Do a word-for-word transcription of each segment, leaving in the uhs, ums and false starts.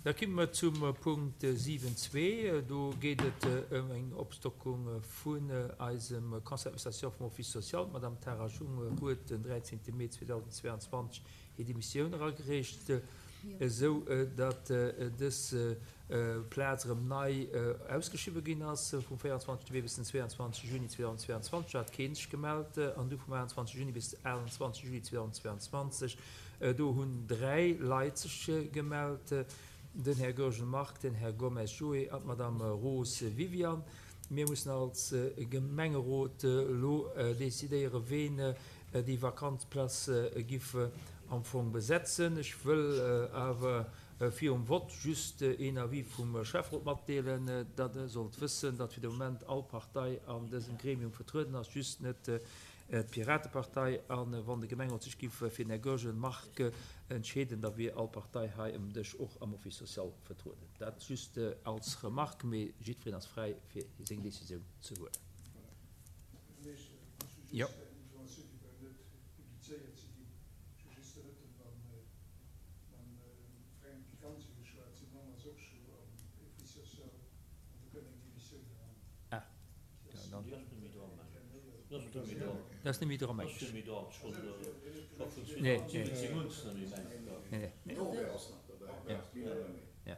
Da komme mer zum Punkt siwen zwee. Do geet et ëm eng Opstockung vun eisem Conseil d'administration vum Office social. D'Madame Tara Jung huet den dräizéngte Mee zweedausendzweianzwanzeg hir Demissioun eragereecht, esou datt dës Plaz erëm nei ausgeschriwwe ginn ass. Vum véierundzwanzegste Mee bis den zweeandzwanzegste Juni zweedausendzweianzwanzeg hat keen sech gemellt an du vum aachtundzwanzegste Juni bis aachtundzwanzegste Juli zweedausendzweianzwanzeg, do hunn dräi Leit sech gemellt, den Här Goergen Marc, den Här Gomes Joé an d'Madame Roos Viviane. Mir mussen als Gemengerot elo decidéieren, ween déi vakant Place giff am Fong besetzen. Ech wëll awer virum Vott just een Avis vum Schäfferot matdeelen, datt Der sollt wëssen, datt fir de Moment all Partei an dësem Gremium vertrueden ass, just net d'Piratepartei. A wann de Gemengerot sech giff fir den Här Goergen Marc entscheeden, da wier all Partei hei ëm Dësch och am Office social vertrueden. Dat just als Remarque, mee jiddwereen ass fräi fir seng Decisioun ze huelen. Jo. Ah, dann. Dat ass net méi dran, meng ech. Nee, nee. Nee, nee. Ja.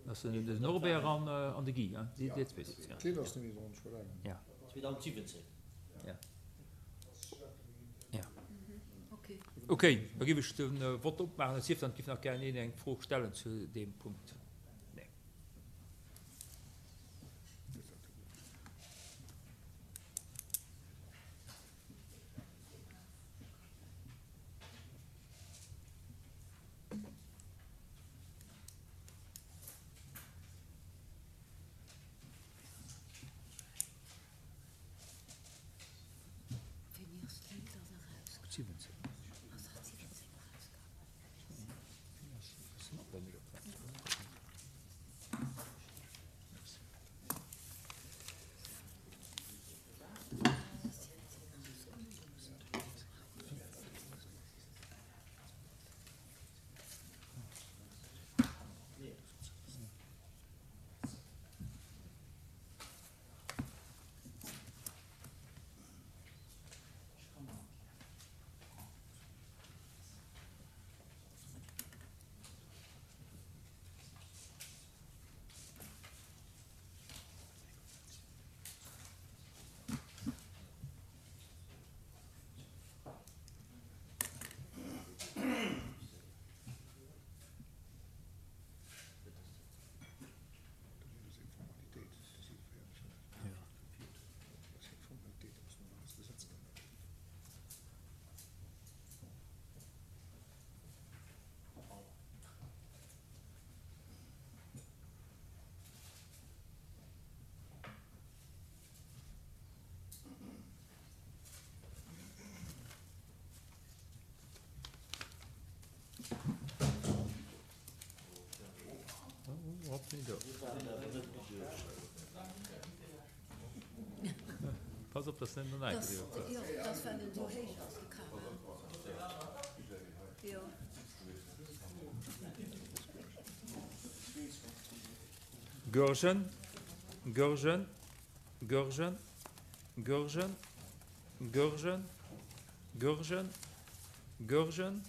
Dat ass den Norbert an, an de Guy, hein? Déi, déi zwee sinn et, ja. ass net méi dran, scho laang. Ja. Ja. Ja. Okay, da géif ech de Vott opmaachen. Et sief dann, et géif nach gären een eng Fro stellen zu deem Punkt. Nee. Pass op, dass net no näischt Goergen, Goergen, Goergen, Goergen, Goergen, Goergen, Goergen,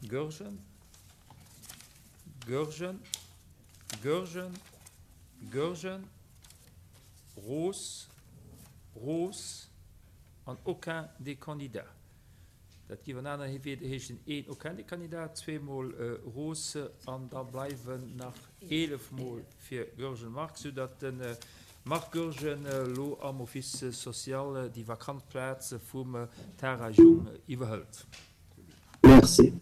Goergen, Goergen, Goergen, Goergen, Roos, Roos an aucun des candidats. Dat géif an aner Wierder heeschen, een aucun des candidats, zweemol Roos an da bleiwen nach eelef Mol fir Goergen Marc, soudatt de Marc Goergen elo am Office social déi vakant Plaz vum Tara Jung iwwerhëlt. Merci.